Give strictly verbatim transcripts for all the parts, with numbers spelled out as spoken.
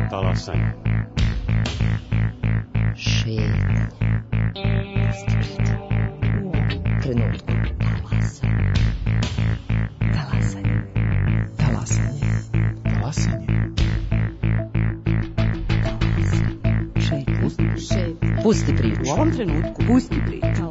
Talasanje. Šetnje. U ovom trenutku. Talasanje. Talasanje. Talasanje. Pusti priču. U ovom trenutku. Pusti priču.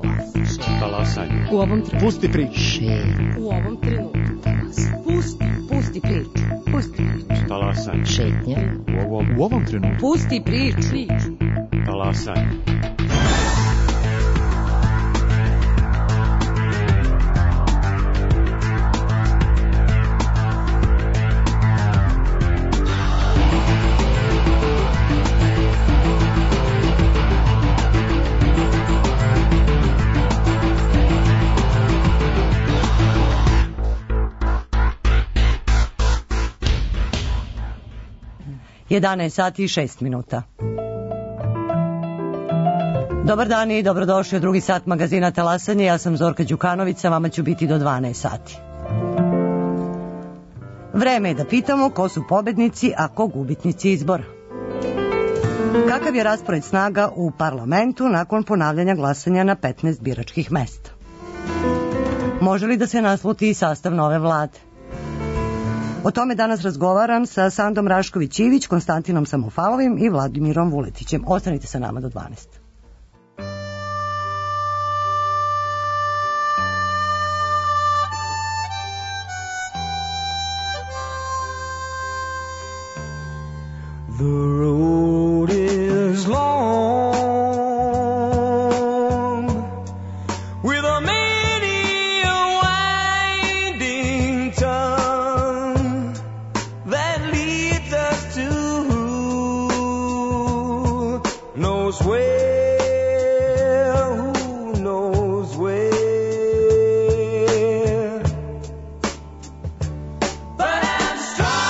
Talasanje. U ovom trenutku. Pusti priču. Šetnje. U ovom trenutku. Talasanje. Pusti. Pusti priču. Pusti priču. Talasanje. Šetnje. U ovom, U ovom trenutku. Pusti priču. Priču. talasanje. jedanaest sati i šest minuta. Dobar dan i dobrodošli u drugi sat magazina Talasanje. Ja sam Zorka Đukanović, sa vama ću biti do dvanaest sati. Vreme je da pitamo ko su pobednici, a ko gubitnici izbora. Kakav je raspored snaga u parlamentu nakon ponavljanja glasanja na petnaest biračkih mesta? Može li da se nasluti sastav nove vlade? O tome danas razgovaram sa Sandom Rašković-Ivić, Konstantinom Samofalovim i Vladimirom Vuletićem. Ostanite sa nama do dvanaest. The road is long with a many a winding tongue that leads us to who knows where, who knows where. But I'm strong,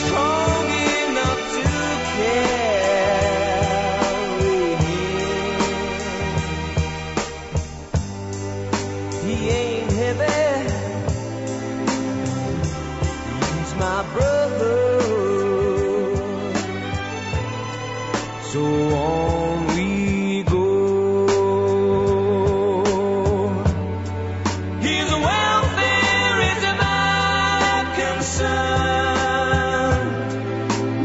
strong enough to carry him. He ain't heavy, he's my brother. So on we go. His welfare is my concern.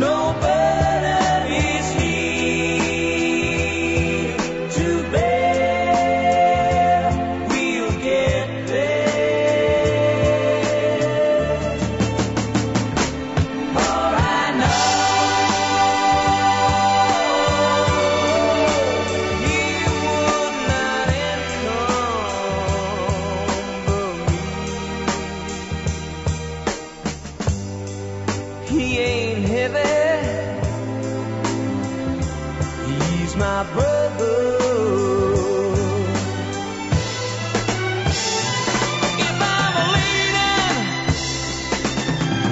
No burden is he to bear. We'll get there. For I know he would not encumber me. He ain't heavy, he's my brother. If I'm a leader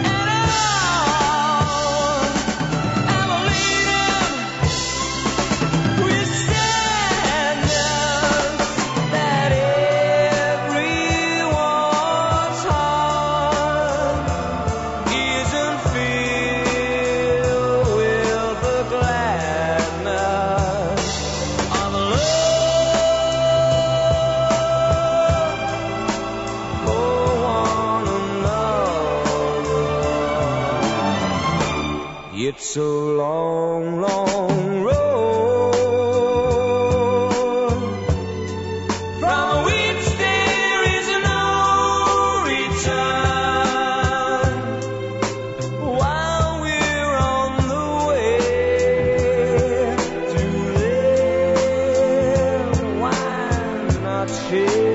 at all, I'm a leader with standards that everyone's heart isn't filled with the gladness of love for one another. It's a long, long road from which there is no return. While we're on the way to there, why not share?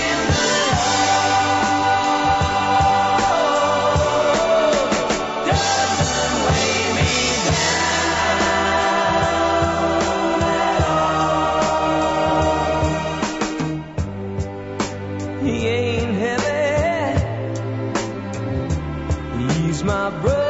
And the love doesn't weigh me down at all. He ain't heavy, he's my brother.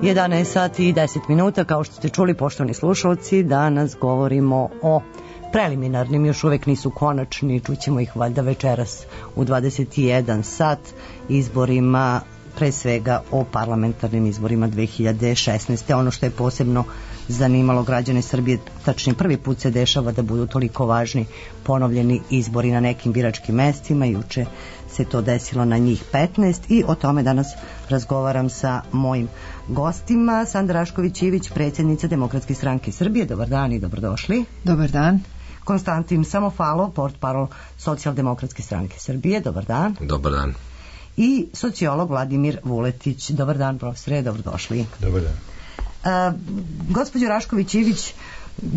jedanaest sati i deset minuta, kao što ste čuli, poštovani slušalci, danas govorimo o preliminarnim, još uvek nisu konačni, čućemo ih valjda večeras u dvadeset jedan sat, izborima, pre svega o parlamentarnim izborima dve hiljade šesnaeste. Ono što je posebno zanimalo građane Srbije, tačnije prvi put se dešava da budu toliko važni ponovljeni izbori na nekim biračkim mestima. Juče se to desilo na njih petnaest i o tome danas razgovaram sa mojim gostima. Sanda Rašković-Ivić, predsjednica Demokratske stranke Srbije. Dobar dan i dobrodošli. Dobar dan. Konstantin Samofalov, portparol Socijaldemokratske stranke Srbije. Dobar dan. Dobar dan. I sociolog Vladimir Vuletić. Dobar dan, profesore, dobrodošli. Dobar dan. Uh, gospođo Rašković-Ivić,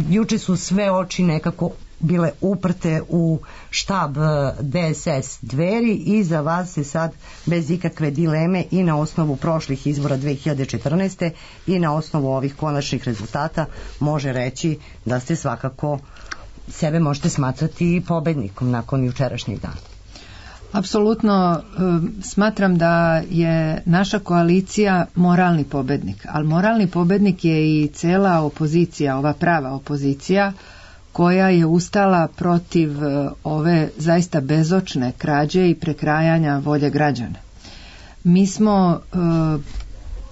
juče su sve oči nekako bile uprte u štab D S S Dveri i za vas se sad bez ikakve dileme i na osnovu prošlih izbora dve hiljade četrnaeste i na osnovu ovih konačnih rezultata može reći da ste svakako sebe možete smatrati pobednikom nakon jučerašnjeg dana. Apsolutno smatram da je naša koalicija moralni pobednik, ali moralni pobednik je i cela opozicija, ova prava opozicija koja je ustala protiv ove zaista bezočne krađe i prekrajanja volje građana. Mi smo e,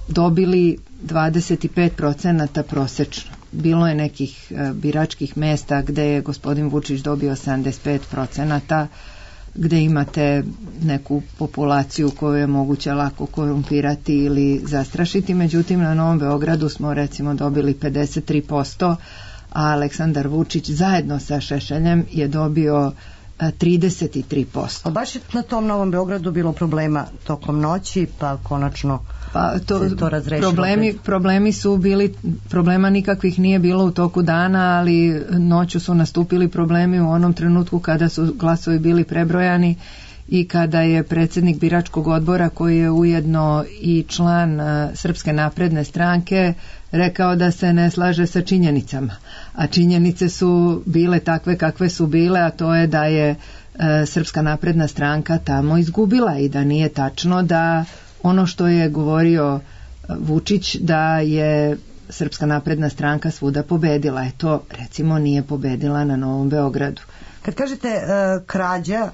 dobili dvadeset pet procenata prosečno. Bilo je nekih e, biračkih mesta gde je gospodin Vučić dobio sedamdeset pet procenata, gde imate neku populaciju koju je moguće lako korumpirati ili zastrašiti. Međutim, na Novom Beogradu smo recimo dobili pedeset tri posto, a Aleksandar Vučić zajedno sa Šešeljem je dobio trideset tri posto. A baš je na tom Novom Beogradu bilo problema tokom noći, pa konačno pa to, se to razrešilo. Problemi, problemi su bili, problema nikakvih nije bilo u toku dana, ali noću su nastupili problemi u onom trenutku kada su glasovi bili prebrojani i kada je predsjednik biračkog odbora, koji je ujedno i član uh, Srpske napredne stranke, rekao da se ne slaže sa činjenicama. A činjenice su bile takve kakve su bile, a to je da je uh, Srpska napredna stranka tamo izgubila i da nije tačno da ono što je govorio Vučić da je Srpska napredna stranka svuda pobedila. E to recimo nije pobedila na Novom Beogradu. Kad kažete uh, krađa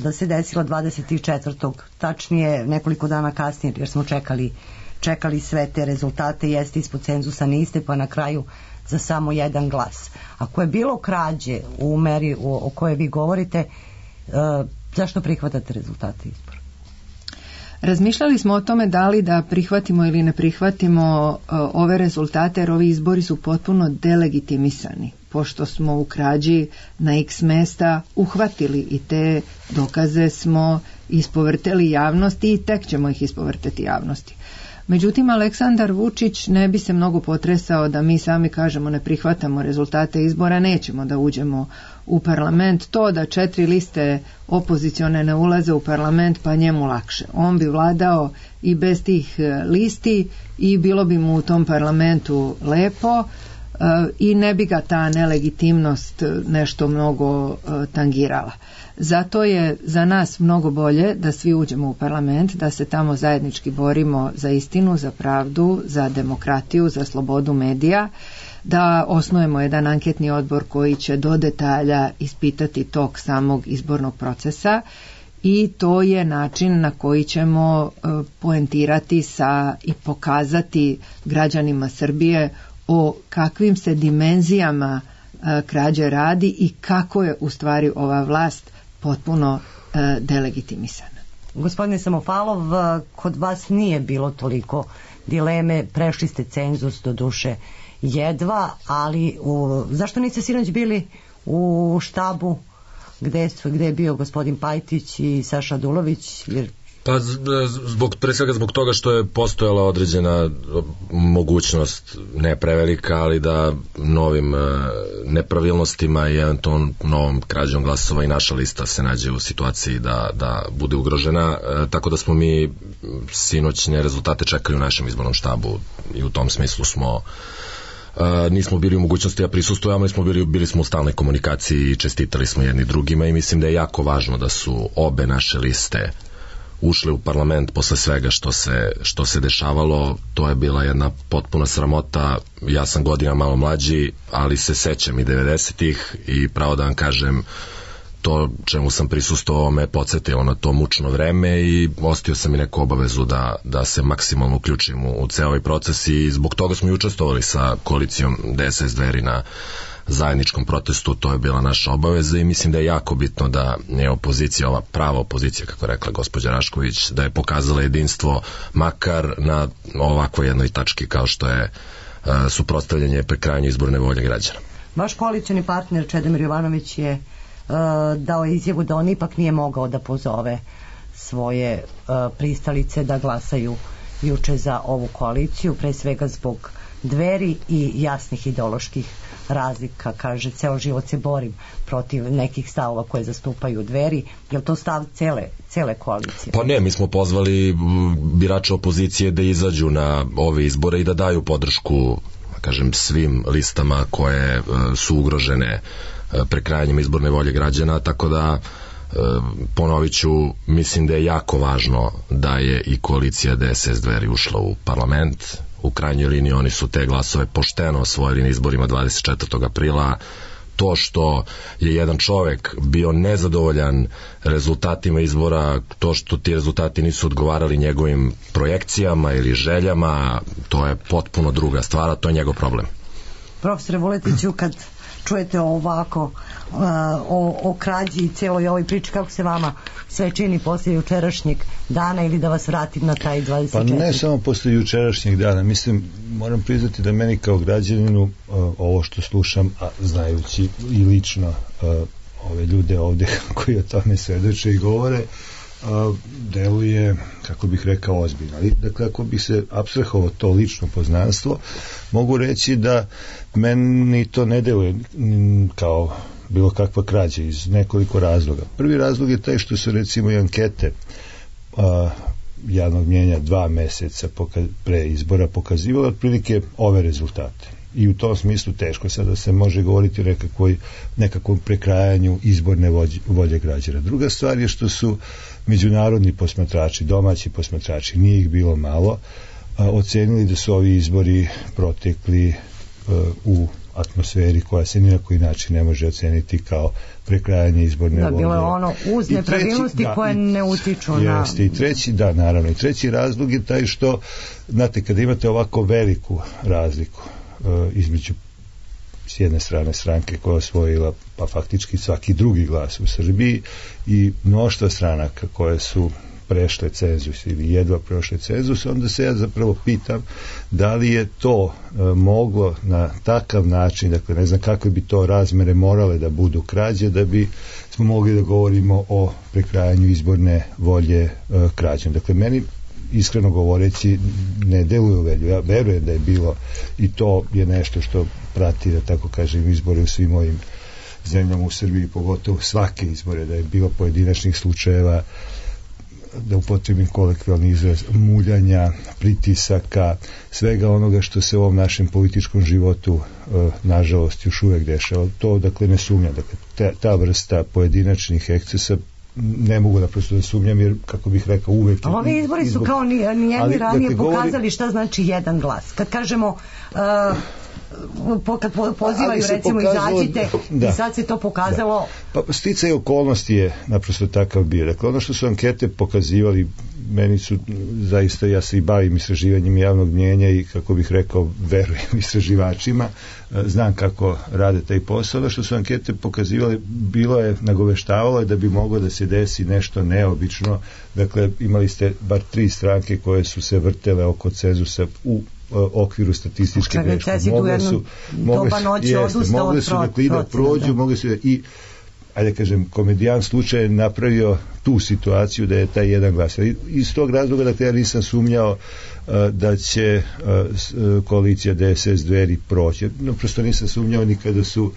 da se desila dvadeset četvrtog tačnije nekoliko dana kasnije, jer smo čekali čekali sve te rezultate, jeste ispod cenzusa, niste, pa na kraju za samo jedan glas. Ako je bilo krađe u meri o, o kojoj vi govorite, uh, zašto prihvatate rezultate izbora? Razmišljali smo o tome da li da prihvatimo ili ne prihvatimo uh, ove rezultate, jer ovi izbori su potpuno delegitimisani, pošto smo u krađi na x mesta uhvatili i te dokaze smo ispovrteli javnosti i tek ćemo ih ispovrteti javnosti. Međutim, Aleksandar Vučić ne bi se mnogo potresao da mi sami kažemo ne prihvatamo rezultate izbora, nećemo da uđemo u parlament. To da četiri liste opozicione ne ulaze u parlament, pa njemu lakše. On bi vladao i bez tih listi i bilo bi mu u tom parlamentu lepo i ne bi ga ta nelegitimnost nešto mnogo tangirala. Zato je za nas mnogo bolje da svi uđemo u parlament, da se tamo zajednički borimo za istinu, za pravdu, za demokratiju, za slobodu medija, da osnujemo jedan anketni odbor koji će do detalja ispitati tok samog izbornog procesa i to je način na koji ćemo poentirati sa i pokazati građanima Srbije o kakvim se dimenzijama krađe radi i kako je u stvari ova vlast potpuno e, delegitimisana. Gospodine Samofalov, kod vas nije bilo toliko dileme, prešli ste cenzus do duše jedva, ali u, zašto niste sinoć bili u štabu gde, su, gde je bio gospodin Pajtić i Saša Dulović? Jer Pa zbog, pre svega zbog toga što je postojala određena mogućnost, ne prevelika, ali da novim nepravilnostima i eventualno novom krađom glasova i naša lista se nađe u situaciji da, da bude ugrožena, tako da smo mi sinoćne rezultate čekali u našem izbornom štabu i u tom smislu smo Uh, nismo bili u mogućnosti da prisustujemo, ali smo bili, bili smo u stalnoj komunikaciji i čestitali smo jedni drugima i mislim da je jako važno da su obe naše liste ušli u parlament posle svega što se, što se dešavalo. To je bila jedna potpuna sramota. Ja sam godina malo mlađi, ali se sećam i devedesetih i pravo da vam kažem, to čemu sam prisustvovao me podsjetilo na to mučno vreme i ostio sam i neku obavezu da, da se maksimalno uključim u, u ceo ovaj proces i zbog toga smo i učestvovali sa koalicijom D S S Dveri na zajedničkom protestu. To je bila naša obaveza i mislim da je jako bitno da je opozicija, ova prava opozicija, kako je rekla gospođa Rašković, da je pokazala jedinstvo makar na ovakvoj jednoj tački kao što je uh, suprotstavljanje prekrajanju izborne volje građana. Vaš koalicioni partner Čedomir Jovanović je uh, dao izjavu da on ipak nije mogao da pozove svoje uh, pristalice da glasaju juče za ovu koaliciju, pre svega zbog Dveri i jasnih ideoloških razlika. Kaže, ceo život se borim protiv nekih stavova koje zastupaju Dveri. Je li to stav cele, cele koalicije? Pa ne, mi smo pozvali birače opozicije da izađu na ove izbore i da daju podršku, kažem, svim listama koje su ugrožene prekrajanjem izborne volje građana, tako da ponovit ću, mislim da je jako važno da je i koalicija D S S Dveri ušla u parlament. U krajnjoj liniji oni su te glasove pošteno osvojili na izborima dvadeset četvrtog aprila. To što je jedan čovek bio nezadovoljan rezultatima izbora, to što ti rezultati nisu odgovarali njegovim projekcijama ili željama, to je potpuno druga stvar, a to je njegov problem. Profesore Vuletiću, kad čujete ovako uh, o, o krađi i celoj ovoj priči, kako se vama sve čini posle jučerašnjeg dana, ili da vas vratim na taj dvadeset četvrti? Pa ne samo posle jučerašnjeg dana, mislim, moram priznati da meni kao građaninu uh, ovo što slušam, a znajući i lično uh, ove ljude ovde koji o tome svedoče i govore, uh, deluje, kako bih rekao, ozbiljno. Ali, dakle, ako bih se apstrahovao to lično poznanstvo, mogu reći da meni to ne deluje kao bilo kakva krađa iz nekoliko razloga. Prvi razlog je taj što su recimo i ankete a, javnog mnjenja dva meseca poka- pre izbora pokazivale otprilike ove rezultate. I u tom smislu teško sada se može govoriti o nekakvoj, nekakvom prekrajanju izborne volje, volje građana. Druga stvar je što su međunarodni posmatrači, domaći posmatrači, nije ih bilo malo, a, ocenili da su ovi izbori protekli a, u atmosferi koja se ni na koji način ne može oceniti kao prekrajanje izborne volje. Da, bilo je ono uz nepravilnosti da, koje ne utiču na... Jeste, i treći, da, naravno, i treći razlog je taj što, znate, kada imate ovako veliku razliku uh, između s jedne strane stranke koja je osvojila pa faktički svaki drugi glas u Srbiji i mnoštva stranaka koje su prešle cenzus ili jedva prešle cenzus, onda se ja zapravo pitam da li je to e, moglo na takav način, dakle ne znam kakve bi to razmere morale da budu krađe, da bi smo mogli da govorimo o prekrajanju izborne volje e, krađom. Dakle, meni iskreno govoreći ne deluje u velju. Ja verujem da je bilo i to je nešto što prati, da tako kažem, izbore u svim ovim zemljama u Srbiji, pogotovo svake izbore, da je bilo pojedinačnih slučajeva, da upotrebim kolektivalni izraz, muljanja, pritisaka, svega onoga što se u ovom našem političkom životu e, nažalost još uvek dešava. To, dakle, ne sumnjam. Dakle, ta, ta vrsta pojedinačnih ekscesa ne mogu da prosto da sumnjam, jer, kako bih rekao, uvek... Ali ovi izbori su izbor... kao nijedni ranije dakle, pokazali govori... šta znači jedan glas. Kad kažemo... Uh, po, kad pozivaju recimo pokazalo, izađite da, i sad se to pokazalo da. Pa sticaj okolnosti je naprosto takav bio. Dakle, ono što su ankete pokazivali, meni su zaista, ja se i bavim istraživanjem javnog mnjenja i, kako bih rekao, verujem istraživačima, znam kako rade taj posao. Ono što su ankete pokazivali, bilo je, nagoveštavalo je da bi moglo da se desi nešto neobično. Dakle, imali ste bar tri stranke koje su se vrtele oko cenzusa u okviru statističke greške. Mogle su, mogle su, jeste, mogle su dakle i da prođu, mogle su i, ajde kažem, komedijan slučaj je napravio tu situaciju da je taj jedan glas. Iz tog razloga, dakle, ja nisam sumnjao da će koalicija D S S Dveri proći. No, prosto nisam sumnjao ni kada su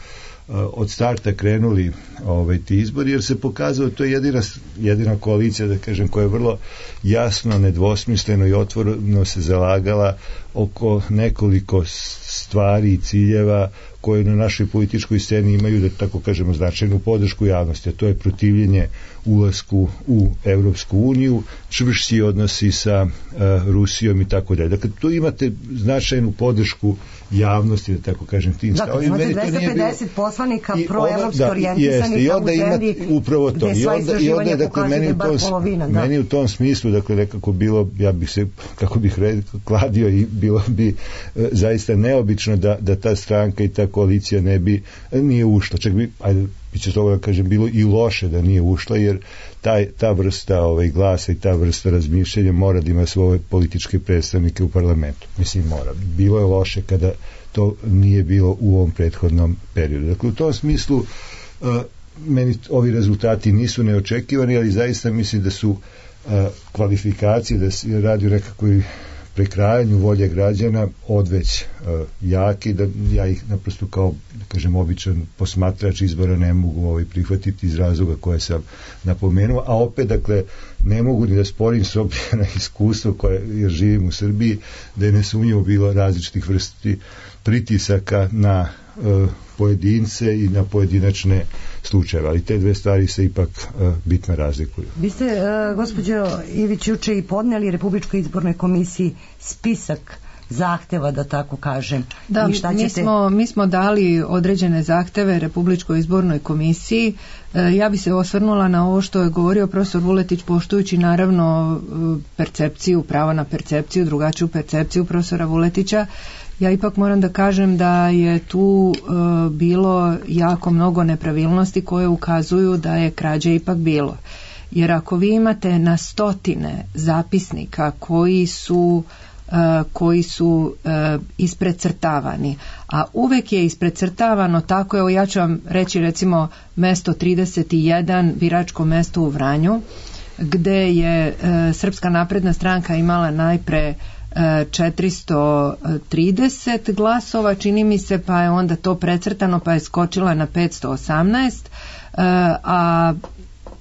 od starta krenuli ovaj, ti izbori, jer se pokazalo to je jedina, jedina koalicija, da kažem, koja je vrlo jasno, nedvosmisleno i otvoreno se zalagala oko nekoliko stvari i ciljeva koje na našoj političkoj sceni imaju, da tako kažemo, značajnu podršku javnosti, a to je protivljenje ulasku u Evropsku uniju, čvršći odnosi sa uh, Rusijom i tako dalje. Dakle, tu imate značajnu podršku javnosti, da tako kažem, tim stavima. Dakle, imate dvesta pedeset poslanika proevropski orijentisanih da, u zemlji upravo to. I onda, i onda je, dakle, meni u, tom, polovina, da. meni u tom smislu, dakle, nekako bilo, ja bih se, kako bih rekao, kladio i bilo bi e, zaista neobično da, da ta stranka i ta koalicija ne bi, nije ušla. Čak bi, ajde, biće toga da kažem, bilo i loše da nije ušla, jer taj, ta vrsta ovaj, glasa i ta vrsta razmišljanja mora da ima svoje političke predstavnike u parlamentu. Mislim, mora. Bilo je loše kada to nije bilo u ovom prethodnom periodu. Dakle, u tom smislu uh, meni ovi rezultati nisu neočekivani, ali zaista mislim da su uh, kvalifikacije, da se radi o nekakvoj prekrajanju volje građana odveć uh, jaki, da ja ih naprosto kao, da kažem, običan posmatrač izbora ne mogu ovaj, prihvatiti iz razloga koje sam napomenuo, a opet, dakle, ne mogu ni da sporim s obzirom na iskustvo koje, jer živim u Srbiji, da je nesumnjivo bilo različitih vrsti pritisaka na uh, pojedince i na pojedinačne slučajeve, ali te dve stvari se ipak uh, bitno razlikuju. Vi ste, uh, gospođo Ivić, juče i podneli Republičkoj izbornoj komisiji spisak zahteva, da tako kažem. Da, I šta mi, ćete... smo, mi smo dali određene zahteve Republičkoj izbornoj komisiji. E, ja bi se osvrnula na ovo što je govorio profesor Vuletić, poštujući naravno percepciju, pravo na percepciju, drugačiju percepciju profesora Vuletića. Ja ipak moram da kažem da je tu e, bilo jako mnogo nepravilnosti koje ukazuju da je krađe ipak bilo. Jer ako vi imate na stotine zapisnika koji su Uh, koji su uh, isprecrtavani, a uvek je isprecrtavano tako, evo ja ću vam reći recimo mesto trideset jedan, biračko mesto u Vranju, gde je uh, Srpska napredna stranka imala najpre uh, četiristo trideset glasova, čini mi se, pa je onda to precrtano, pa je skočila na petsto osamnaest, uh, a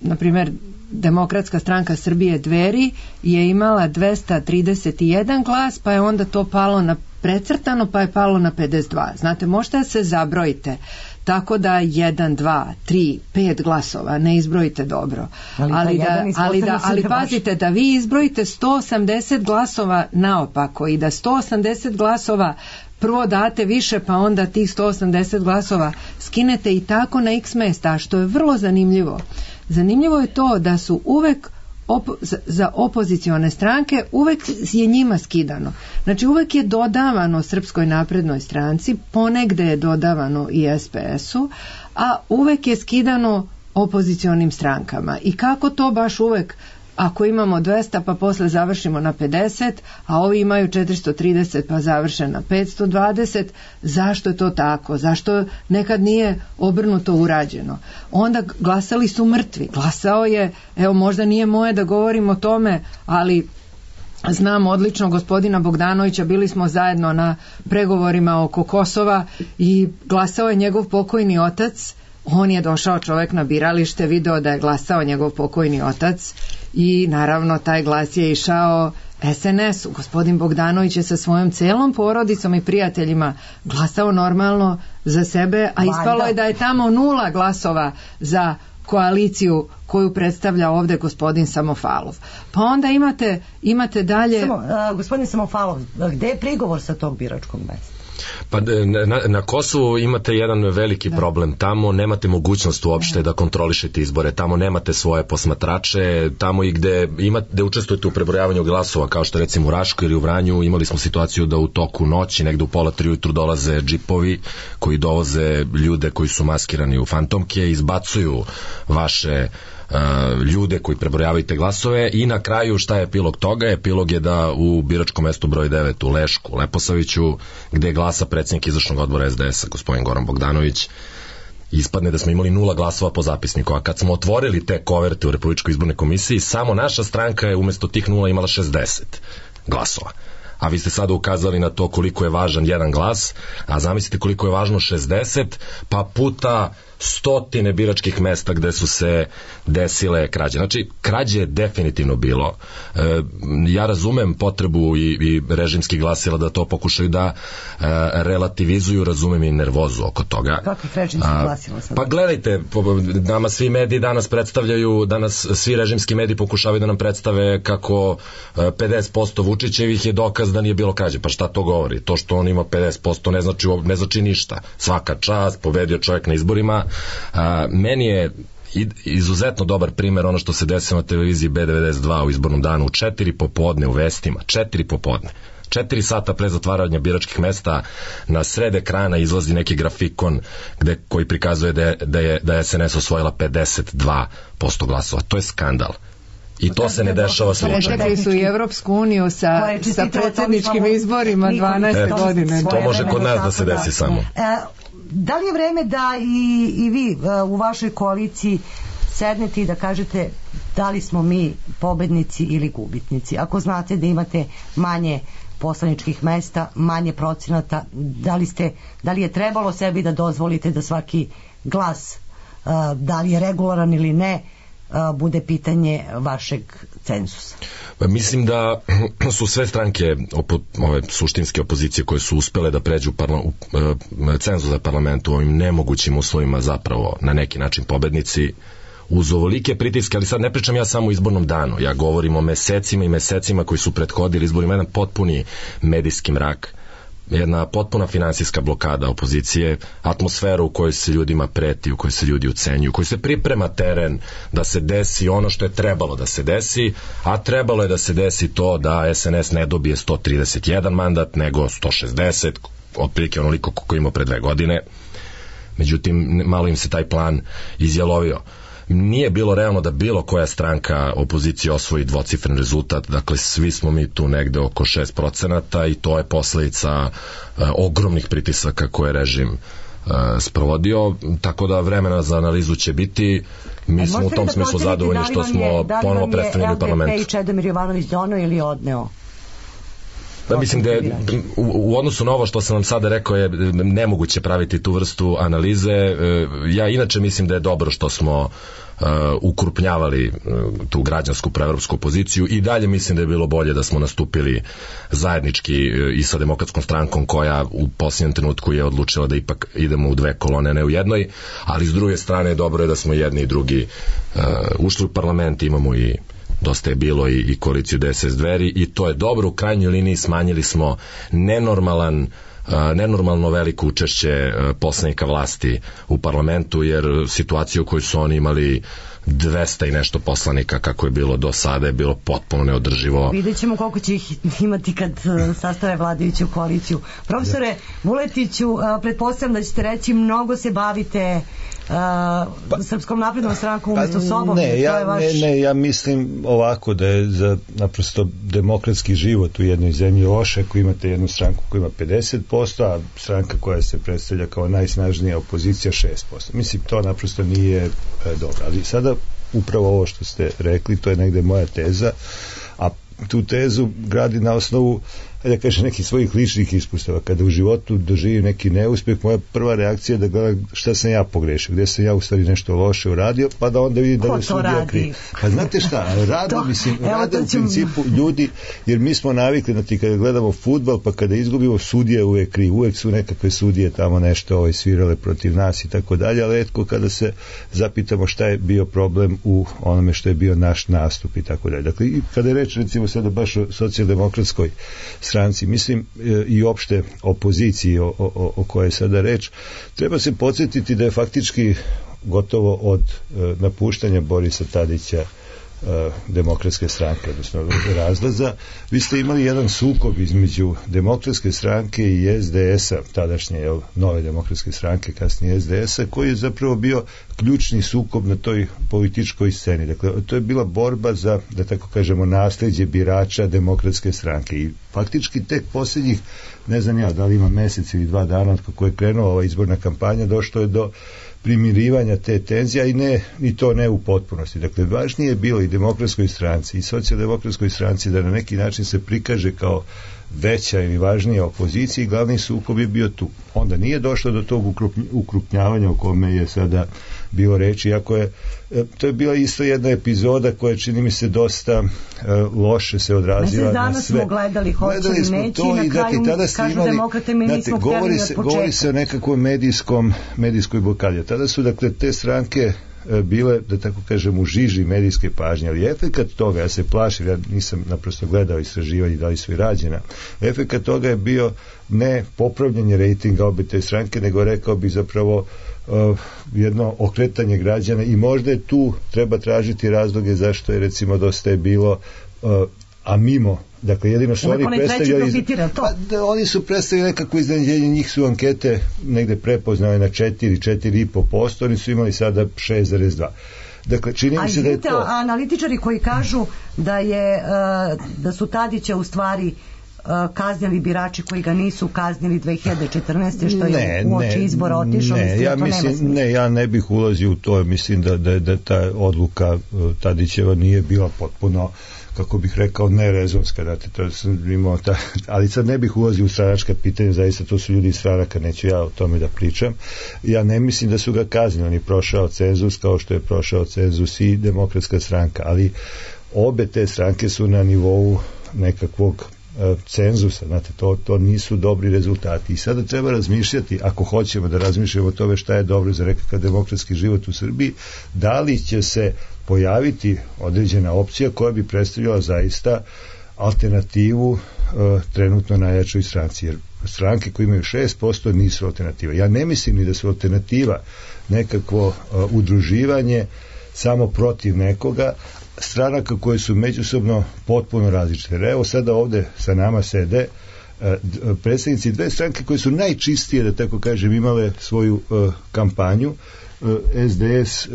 na primjer Demokratska stranka Srbije Dveri je imala dvesta trideset jedan glas, pa je onda to palo na precrtano, pa je palo na pedeset dva. Znate, možete da se zabrojite tako da jedan, dva, tri, pet glasova ne izbrojite dobro. Ali, ali, da, da, ali, da, ali pazite, da vi izbrojite sto osamdeset glasova naopako i da sto osamdeset glasova prvo date više, pa onda tih sto osamdeset glasova skinete i tako na x mesta, što je vrlo zanimljivo. Zanimljivo je to da su uvek op- za opozicione stranke uvek je njima skidano. Znači uvek je dodavano Srpskoj naprednoj stranci, ponegde je dodavano i S P S-u, a uvek je skidano opozicionim strankama. I kako to baš uvek, ako imamo dvesta pa posle završimo na pedeset, a ovi imaju četiristo trideset pa završe na petsto dvadeset, zašto je to tako? Zašto nekad nije obrnuto urađeno? Onda glasali su mrtvi. Glasao je, evo možda nije moje da govorim o tome, ali znam odlično gospodina Bogdanovića, bili smo zajedno na pregovorima oko Kosova i glasao je njegov pokojni otac. On je došao čovjek na biralište, video da je glasao njegov pokojni otac i naravno taj glas je išao S N S-u. Gospodin Bogdanović je sa svojom celom porodicom i prijateljima glasao normalno za sebe, a ispalo je da je tamo nula glasova za koaliciju koju predstavlja ovde gospodin Samofalov. Pa onda imate, imate dalje... Samo, uh, gospodin Samofalov, gde je prigovor sa tog biračkog mesta? Pa na, na Kosovu imate jedan veliki da. problem, tamo nemate mogućnost uopšte da kontrolišete izbore, tamo nemate svoje posmatrače, tamo i gde, imate, gde učestvujete u prebrojavanju glasova, kao što recimo u Raškoj ili u Vranju, imali smo situaciju da u toku noći, negde u pola tri ujutru dolaze džipovi koji dovoze ljude koji su maskirani u fantomke i izbacuju vaše Uh, ljude koji prebrojavaju te glasove i na kraju šta je epilog toga? Epilog je da u biračkom mestu broj devet u Lešku, Leposaviću, gde glasa predsjednik izvršnog odbora S D S-a, gospodin Goran Bogdanović, ispadne da smo imali nula glasova po zapisniku, a kad smo otvorili te koverte u Republičkoj izbornoj komisiji, samo naša stranka je umesto tih nula imala šezdeset glasova. a vi ste sada ukazali na to koliko je važan jedan glas, a zamislite koliko je važno šezdeset, pa puta stotine biračkih mesta gde su se desile krađe. Znači, krađe je definitivno bilo. E, ja razumem potrebu i, i režimskih glasila da to pokušaju da e, relativizuju, razumem i nervozu oko toga. Kakvih režimskih glasila sad? Pa gledajte, nama svi mediji danas predstavljaju, danas svi režimski mediji pokušavaju da nam predstave kako pedeset posto Vučićevih je dokaz da nije bilo krađe. Pa šta to govori? To što on ima pedeset posto ne znači, ne znači ništa. Svaka čast, pobedio čovjek na izborima. A, meni je izuzetno dobar primer ono što se desilo na televiziji B devedeset dva u izbornom danu u četiri popodne u vestima, četiri popodne. Četiri sata pre zatvaranja biračkih mesta na sred ekrana izlazi neki grafikon gde, koji prikazuje da je, da je, da je S N S osvojila pedeset dva posto glasova. To je skandal. I to se ne dešava slučajno. Pretekli su i Evropsku uniju sa, sa predsjedničkim izborima dvanaeste godine. To može kod nas da se desi samo. Da li je vreme da i, i vi u vašoj koaliciji sednete i da kažete da li smo mi pobednici ili gubitnici? Ako znate da imate manje poslaničkih mesta, manje procenata, da li, ste, da li je trebalo sebi da dozvolite da svaki glas, da li je regularan ili ne, bude pitanje vašeg cenzusa? Mislim da su sve stranke opo, ove suštinske opozicije koje su uspele da pređu parla, u, cenzus za parlament u ovim nemogućim uslovima zapravo na neki način pobednici uz ovolike pritiske, ali sad ne pričam ja samo o izbornom danu, ja govorim o mesecima i mesecima koji su prethodili izborima, jedan potpuni medijski mrak, jedna potpuna finansijska blokada opozicije, atmosfera u kojoj se ljudima preti, u kojoj se ljudi ucenjuju, u kojoj se priprema teren da se desi ono što je trebalo da se desi, a trebalo je da se desi to da S N S ne dobije sto trideset jedan mandat, nego sto šezdeset, otprilike onoliko koliko imao pre dve godine. Međutim, malo im se taj plan izjalovio. Nije bilo realno da bilo koja stranka opozicije osvoji dvocifren rezultat, dakle svi smo mi tu negde oko šest procenata i to je posledica uh, ogromnih pritisaka koje je režim uh, sprovodio, tako da vremena za analizu će biti. Mi smo u tom da smislu zadovoljni što smo ponovo predstavljeni u parlamentu. Da li vam je L D P i Čedomir Jovanović dono ili odneo? Da, mislim da je, u, u odnosu na ovo što sam vam sada rekao je nemoguće praviti tu vrstu analize. Ja inače mislim da je dobro što smo uh, ukrupnjavali uh, tu građansku proevropsku opoziciju i dalje mislim da je bilo bolje da smo nastupili zajednički uh, i sa Demokratskom strankom koja u posljednjem trenutku je odlučila da ipak idemo u dve kolone, ne u jednoj, ali s druge strane dobro je da smo jedni i drugi uh, ušli u parlament, imamo i dosta je bilo i, i koaliciju D S S Dveri i to je dobro, u krajnjoj liniji smanjili smo nenormalan uh, nenormalno veliko učešće uh, poslanika vlasti u parlamentu, jer situaciju u kojoj su oni imali dvesta i nešto poslanika kako je bilo do sada je bilo potpuno neodrživo. Vidjet ćemo koliko će ih imati kad sastave vladajuću koaliciju. Profesore Vuletiću, pretpostavljam da ćete reći mnogo se bavite Uh, pa, Srpskom naprednom strankom umjesto sobom. Ne, ja, vaš... ne, ne, ja mislim ovako da je za naprosto demokratski život u jednoj zemlji loše ako imate jednu stranku koja ima pedeset posto, a stranka koja se predstavlja kao najsnažnija opozicija šest posto. Mislim, to naprosto nije e, dobro. Ali sada upravo ovo što ste rekli, to je negde moja teza, a tu tezu gradi na osnovu da kažem nekih svojih ličnih iskustava. Kada u životu doživim neki neuspjeh, moja prva reakcija je da gledam šta sam ja pogrešio, gdje sam ja u stvari nešto loše uradio, pa da onda vidim da je sudija kriv. Pa znate šta, rade, to, mislim, rade u principu ljudi, jer mi smo navikli na ti kada gledamo fudbal, pa kada izgubimo sudije uvek kriv, uvek su nekakve sudije tamo nešto ovaj, svirale protiv nas i tako dalje, ali etko kada se zapitamo šta je bio problem u onome što je bio naš nastup i tako dalje. Dakle, kada je reč recimo sada baš o socijaldemokratskoj stranci, mislim i opšte opoziciji o, o, o kojoj je sada reč, treba se podsjetiti da je faktički gotovo od e, napuštanja Borisa Tadića e, demokratske stranke, odnosno razlaza, vi ste imali jedan sukob između demokratske stranke i S D S-a, tadašnje jel, nove demokratske stranke, kasnije S D S-a, koji je zapravo bio ključni sukob na toj političkoj sceni. Dakle, to je bila borba za, da tako kažemo, nasljeđe birača demokratske stranke i faktički tek posljednjih, ne znam ja, da li ima mesec ili dva dana od kako je krenula ova izborna kampanja, došlo je do primirivanja te tenzija i ne, i to ne u potpunosti. Dakle, važnije je bilo i Demokratskoj stranci i Socijaldemokratskoj stranci da na neki način se prikaže kao veća ili važnija opozicija i glavni sukob je bio tu. Onda nije došlo do tog ukrupnjavanja o kome je sada bilo reči, iako je to je bila isto jedna epizoda koja čini mi se dosta uh, loše se odrazila na sve. Danas smo gledali hoće li neći i na kraju tada kažu imali, demokrate mi nismo htjeli od početka. Govori se o nekakvom medijskom, medijskoj blokadi. Tada su dakle te stranke bile, da tako kažem, u žiži medijske pažnje, ali efekat toga, ja se plašim, ja nisam naprosto gledao istraživanje da li su i rađena, efekat toga je bio ne popravljanje rejtinga obe te stranke, nego rekao bi zapravo uh, jedno okretanje građana i možda je tu treba tražiti razloge zašto je recimo dosta je bilo uh, a mimo, dakle jedino što oni predstavljali pa, da, oni su predstavili nekako iznenađenje, njih su ankete negde prepoznale na četiri, četiri i po posto, oni su imali sada šest zarez dva. Dakle, čini mi se da je to... A analitičari koji kažu da je da su Tadića u stvari kaznili birači koji ga nisu kaznili dve hiljade četrnaeste što ne, je uoči izbora otišao, ne, mislim, ja to mislim, nema ne, ja ne bih ulazio u to, mislim da, da, da ta odluka Tadićeva nije bila potpuno, kako bih rekao, nerezonska, da to sam imao ta, ali sad ne bih ulazio u stranačka pitanja, zaista to su ljudi iz stranaka, neću ja o tome da pričam. Ja ne mislim da su ga kaznili, on je prošao cenzus kao što je prošao cenzus i Demokratska stranka, ali obe te stranke su na nivou nekakvog cenzusa, znate, to, to nisu dobri rezultati i sada treba razmišljati, ako hoćemo da razmišljamo o tome šta je dobro za nekakav demokratski život u Srbiji, da li će se pojaviti određena opcija koja bi predstavljala zaista alternativu uh, trenutno najjačoj stranci, jer stranke koje imaju šest posto nisu alternativa. Ja ne mislim ni da su alternativa nekakvo uh, udruživanje samo protiv nekoga, stranaka koje su međusobno potpuno različite. Evo sada ovde sa nama sede uh, predstavnici dve stranke koje su najčistije, da tako kažem, imale svoju uh, kampanju, S D S,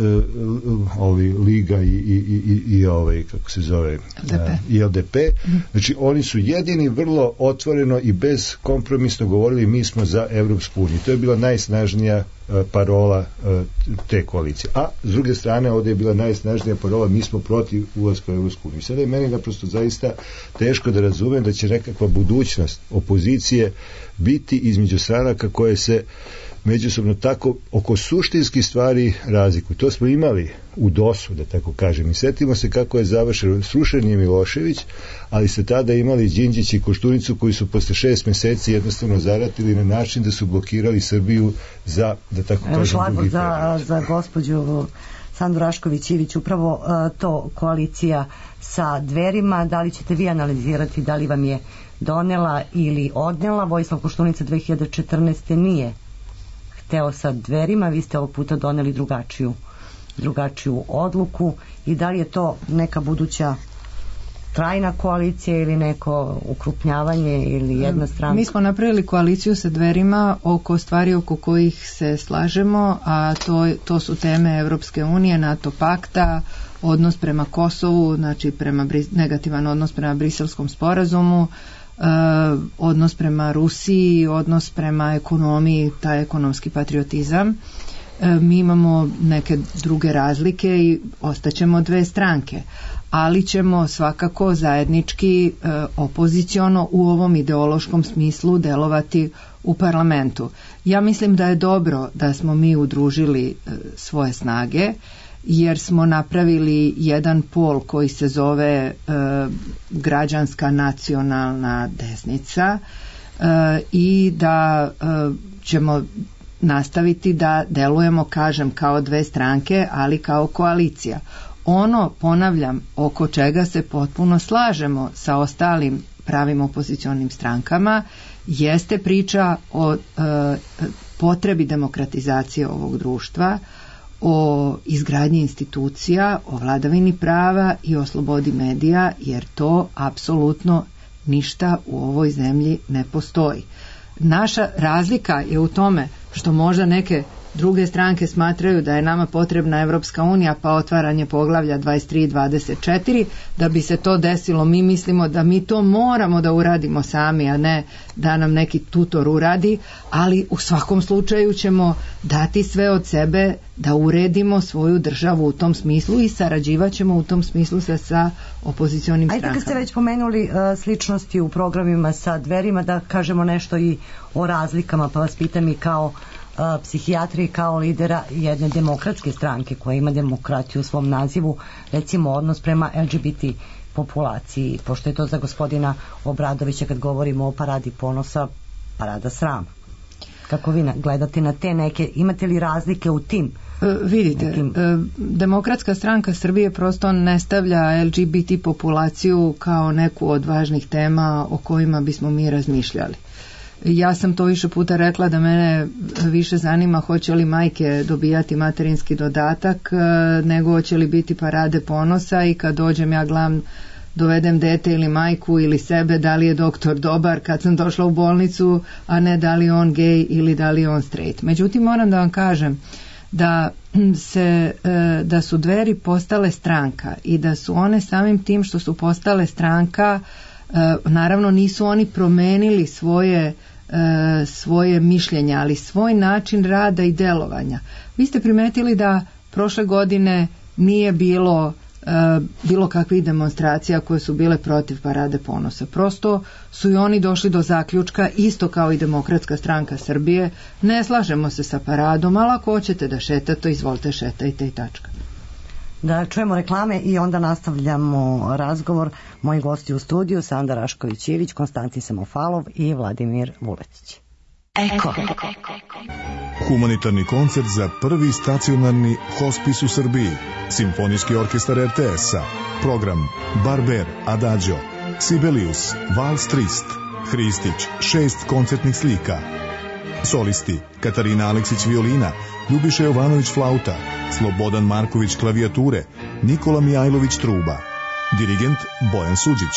ovi Liga i, i, i, i ovaj, kako se zove, L D P. i L D P. Znači, oni su jedini vrlo otvoreno i bez kompromisno govorili mi smo za Evropsku uniju. To je bila najsnažnija parola te koalicije. A s druge strane, ovdje je bila najsnažnija parola mi smo protiv ulaska u Evropsku uniju. Sada je meni naprosto zaista teško da razumem da će nekakva budućnost opozicije biti između stranaka koje se međusobno tako oko suštinskih stvari razliku. To smo imali u dosu, da tako kažem. I setimo se kako je završeno. Srušen je Milošević, ali ste tada imali Đinđić i Koštunicu koji su posle šest meseci jednostavno zaratili na način da su blokirali Srbiju za, da tako Evo kažem, drugi za, za gospođu Sandu Rašković-Ivić, upravo uh, to koalicija sa Dverima, da li ćete vi analizirati da li vam je donela ili odnela? Vojislav Koštunica dve hiljade četrnaeste nije hteo sa Dverima, vi ste ovog puta doneli drugačiju drugačiju odluku i da li je to neka buduća trajna koalicija ili neko ukrupnjavanje ili jedna stranka? Mi smo napravili koaliciju sa Dverima oko stvari oko kojih se slažemo, a to, to su teme Evropske unije, NATO pakta, odnos prema Kosovu, znači prema, negativan odnos prema Briselskom sporazumu, Uh, odnos prema Rusiji, odnos prema ekonomiji, taj ekonomski patriotizam. Uh, mi imamo neke druge razlike i ostaćemo dve stranke, ali ćemo svakako zajednički uh, opoziciono u ovom ideološkom smislu delovati u parlamentu. Ja mislim da je dobro da smo mi udružili uh, svoje snage, jer smo napravili jedan pol koji se zove e, građanska nacionalna desnica e, i da e, ćemo nastaviti da delujemo, kažem, kao dve stranke, ali kao koalicija. Ono, ponavljam, oko čega se potpuno slažemo sa ostalim pravim opozicionim strankama, jeste priča o e, potrebi demokratizacije ovog društva, o izgradnji institucija, o vladavini prava i o slobodi medija, jer to apsolutno ništa u ovoj zemlji ne postoji. Naša razlika je u tome što možda neke druge stranke smatraju da je nama potrebna Evropska unija pa otvaranje poglavlja dvadeset tri i dvadeset četiri. Da bi se to desilo, mi mislimo da mi to moramo da uradimo sami, a ne da nam neki tutor uradi, ali u svakom slučaju ćemo dati sve od sebe da uredimo svoju državu u tom smislu i sarađivaćemo u tom smislu sa, sa opozicionim strankama. Ajde, kad ste već pomenuli uh, sličnosti u programima sa Dverima, da kažemo nešto i o razlikama, pa vas pitam i kao uh, psihijatri, kao lidera jedne demokratske stranke koja ima demokratiju u svom nazivu, recimo odnos prema L G B T populaciji, pošto je to za gospodina Obradovića, kad govorimo o paradi ponosa, parada srama. Kako vi gledate na te neke, imate li razlike u tim? E, vidite, nekim... e, Demokratska stranka Srbije prosto ne stavlja L G B T populaciju kao neku od važnih tema o kojima bismo mi razmišljali. Ja sam to više puta rekla da mene više zanima hoće li majke dobijati materinski dodatak e, nego hoće li biti parade ponosa i kad dođem ja gledam dovedem dete ili majku ili sebe, da li je doktor dobar kad sam došla u bolnicu, a ne da li je on gej ili da li je on straight. Međutim, moram da vam kažem da se da su Dveri postale stranka i da su one samim tim što su postale stranka, naravno nisu oni promenili svoje svoje mišljenja, ali svoj način rada i delovanja. Vi ste primetili da prošle godine nije bilo bilo kakvih demonstracija koje su bile protiv parade ponosa. Prosto su i oni došli do zaključka, isto kao i Demokratska stranka Srbije, ne slažemo se sa paradom, ali ako hoćete da šetate, izvolite šetajte i tačka. Da čujemo reklame i onda nastavljamo razgovor. Moji gosti u studiju, Sanda Rašković-Ivić, Konstantin Samofalov i Vladimir Vuletić. Eko. Humanitarni koncert za prvi stacionarni hospis u Srbiji. Simfonijski orkestar R T S-a. Program Barber, Adagio, Sibelius, Vals Trist, Hristić, šest koncertnih slika. Solisti Katarina Aleksić violina, Ljubiša Jovanović flauta, Slobodan Marković klavijature, Nikola Mijajlović truba. Dirigent Bojan Suđić.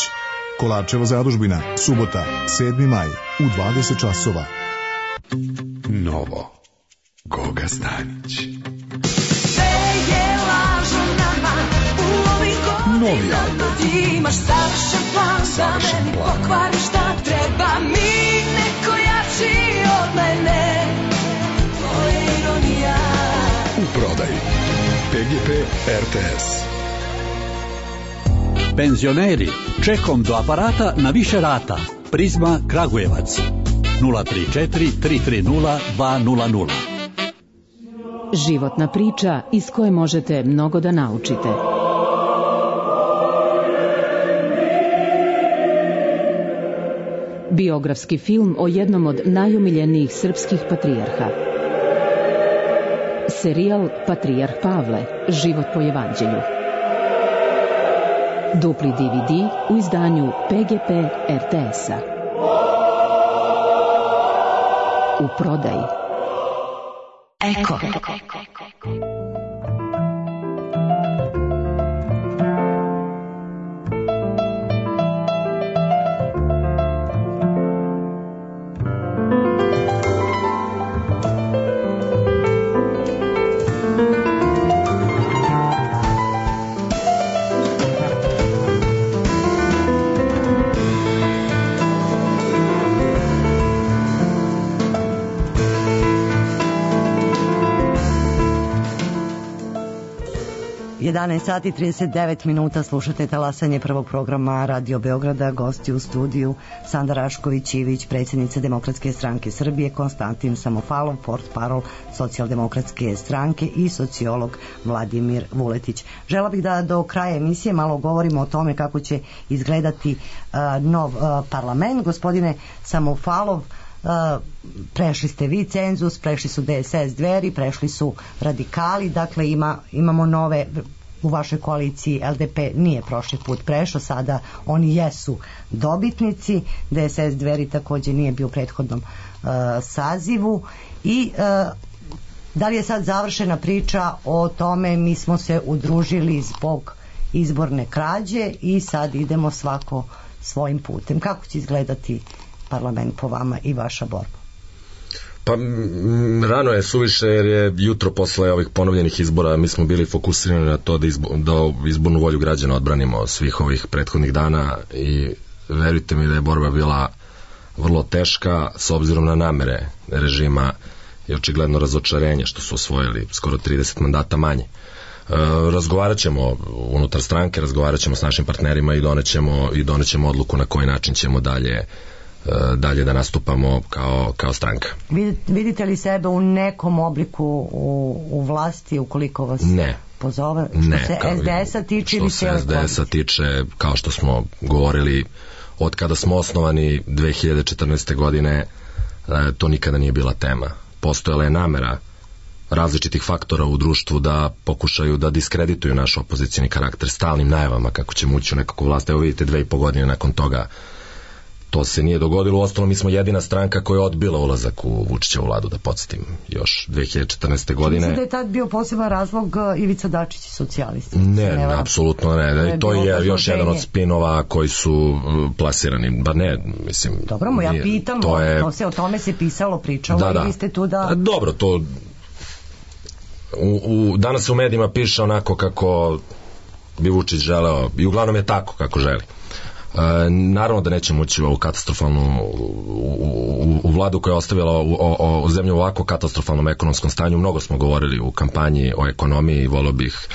Kolarčeva zadužbina, subota, sedmi maj u dvadeset časova. Novo. Goga Stanić. Novi album. Imaš savršen plan, Savršen da meni plan. pokvari šta treba mi, neko jači od mene. To je ironija. U prodaji. P G P R T S. Penzioneri, čekom do aparata na više rata. Prizma Kragujevac. nula tri četiri tri tri nula dva nula nula. Životna priča iz koje možete mnogo da naučite. Biografski film o jednom od najomiljenijih srpskih patrijarha. Serijal Patrijarh Pavle, život po evanđelju. Dupli D V D u izdanju P G P R T S-a. U prodaji. Eko. jedanaest sati i trideset devet minuta, slušate talasanje prvog programa Radio Beograda. Gosti u studiju Sanda Rašković-Ivić, predsjednica Demokratske stranke Srbije, Konstantin Samofalov, portparol Socijaldemokratske stranke i sociolog Vladimir Vuletić. Žela bih da do kraja emisije malo govorimo o tome kako će izgledati uh, nov uh, parlament. Gospodine Samofalov, Uh, prešli ste vi cenzus, prešli su D S S Dveri, prešli su radikali, dakle ima, imamo nove u vašoj koaliciji. L D P nije prošli put prešao, sada oni jesu dobitnici. D S S Dveri također nije bio u prethodnom uh, sazivu i uh, da li je sad završena priča o tome, mi smo se udružili zbog izborne krađe i sad idemo svako svojim putem. Kako će izgledati parlament po vama i vaša borba? Pa m, rano je suviše jer je jutro posle ovih ponovljenih izbora mi smo bili fokusirani na to da, izbo, da izbornu volju građana odbranimo svih ovih prethodnih dana i verujte mi da je borba bila vrlo teška s obzirom na namere režima i očigledno razočarenje što su osvojili skoro trideset mandata manje. E, razgovarat ćemo unutar stranke, razgovarat ćemo s našim partnerima i donećemo, i donećemo odluku na koji način ćemo dalje dalje da nastupamo kao, kao stranka. Vidite li sebe u nekom obliku u, u vlasti ukoliko vas ne. pozove? Što ne, se S D S-a tiče ili što se S D S-a tiče, kao što smo govorili od kada smo osnovani dve hiljade četrnaeste. godine, to nikada nije bila tema. Postojala je namera različitih faktora u društvu da pokušaju da diskredituju naš opozicijni karakter stalnim najavama kako ćemo ući u nekakvu vlast. Evo vidite, dve i po godine nakon toga to se nije dogodilo. Uostalom, mi smo jedina stranka koja je odbila ulazak u Vučićevu vladu, da podsjetim, još dve hiljade četrnaeste. godine. Mislim da je tad bio poseban razlog Ivica Dačić i socijalisti. Ne, ne, apsolutno ne. To je, to je još jedan od spinova koji su plasirani. Ba ne, mislim... Dobro, mu ja nije, pitam, to je... to se o tome se pisalo, pričalo da, da. I vi ste tu da... Dobro, to... U, u, danas se u medijima piše onako kako bi Vučić želeo i uglavnom je tako kako želi. E, naravno da nećemo ući u ovu katastrofalnu u, u, u vladu koja je ostavila u, o, o zemlju u ovako katastrofalnom ekonomskom stanju. Mnogo smo govorili u kampanji o ekonomiji i volio bih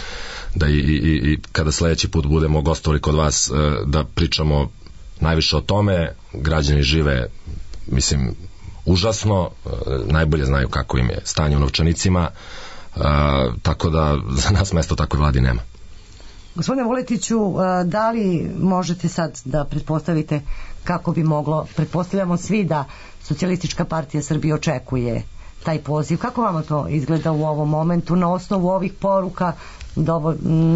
da i, i, i kada sledeći put budemo gostovali kod vas da pričamo najviše o tome. Građani žive, mislim, užasno, najbolje znaju kako im je stanje u novčanicima, e, tako da za nas mesto takve vladi nema. Gospodine Vuletiću, da li možete sad da pretpostavite kako bi moglo, pretpostavljamo svi da Socijalistička partija Srbije očekuje taj poziv, kako vama to izgleda u ovom momentu na osnovu ovih poruka dovo,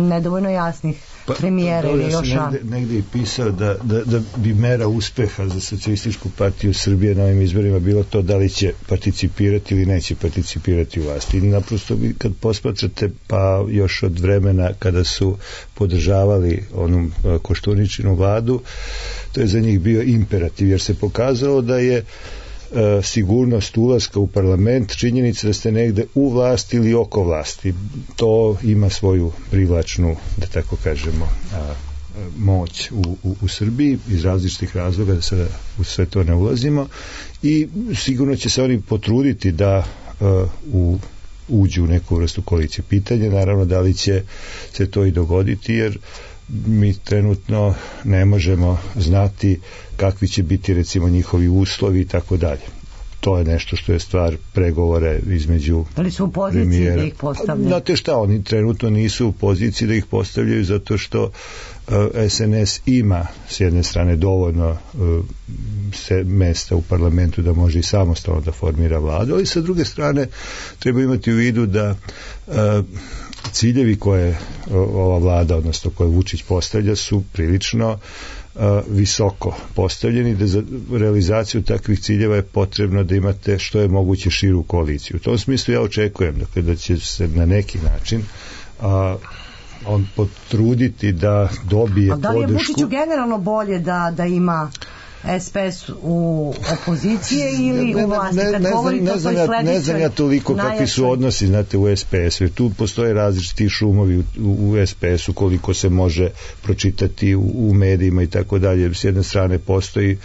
nedovoljno jasnih pa, premijera ili još ja negde, negde i pisao da, da, da bi mera uspeha za Socijalističku partiju Srbije na ovim izborima bilo to da li će participirati ili neće participirati u vlasti. I naprosto kad posmatrate pa još od vremena kada su podržavali onu Koštuničinu vladu, to je za njih bio imperativ jer se pokazalo da je sigurnost ulaska u parlament, činjenica da ste negde u vlasti ili oko vlasti. To ima svoju privlačnu, da tako kažemo, a, moć u, u, u Srbiji iz različitih razloga, da sada u sve to ne ulazimo i sigurno će se oni potruditi da a, u uđu u neku vrstu koalicije. Pitanje naravno da li će se to i dogoditi jer mi trenutno ne možemo znati kakvi će biti recimo njihovi uslovi i tako dalje. To je nešto što je stvar pregovore između premijera. Ali su u poziciji premijera. Da ih postavljaju? Znate šta, oni trenutno nisu u poziciji da ih postavljaju zato što uh, S N S ima s jedne strane dovoljno uh, se mesta u parlamentu da može i samostalno da formira vladu, ali sa druge strane treba imati u vidu da uh, ciljevi koje ova vlada, odnosno koje Vučić postavlja su prilično uh, visoko postavljeni, da za realizaciju takvih ciljeva je potrebno da imate što je moguće širu koaliciju. U tom smislu ja očekujem dakle, da će se na neki način uh, on potruditi da dobije podršku. A da li je Vučiću generalno bolje da, da ima S P S u opozicije ili ne, u vlasti? Ne, ne, ne, znam, ne, znam ja, ne znam ja toliko najjačoj... kakvi su odnosi znate, u S P S-u. Tu postoje različiti šumovi u, u S P S-u koliko se može pročitati u, u medijima i tako dalje. S jedne strane postoji